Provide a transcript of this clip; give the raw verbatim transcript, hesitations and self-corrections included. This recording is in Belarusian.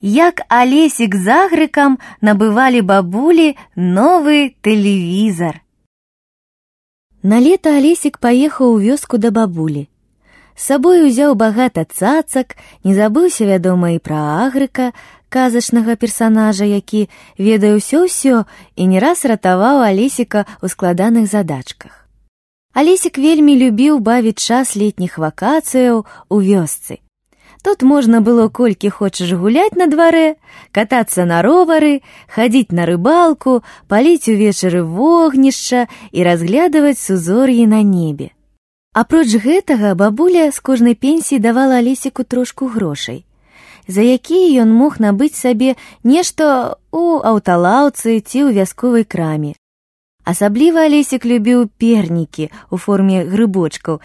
як Алесік з Агрыкам набывалі бабулі новы тэлевізар. На лета Алесік паехаў у вёску да бабулі. З сабой узяў багата цацак, не забыўся, вядома, і пра Агрыка, казачнага персанажа, які ведае ўсё-ўсё і не раз ратаваў Алесіка ў складаных задачках. Алесік вельмі любіў бавіць час летніх вакацыяў у вёсцы. Тут можна было колькі хочаш гуляць на дварэ, катацца на ровары, хадзіць на рыбалку, паліць увечары вогнішча і разглядаваць сузор'і на небе. Апроч гэтага бабуля з кожнай пенсіі давала Алесіку трошку грошай, за якія ён мог набыць сабе нешта ў аўталаўцы ці ў вясковай краме. Асабліва Алесік любіў пернікі ў форме грыбочкаў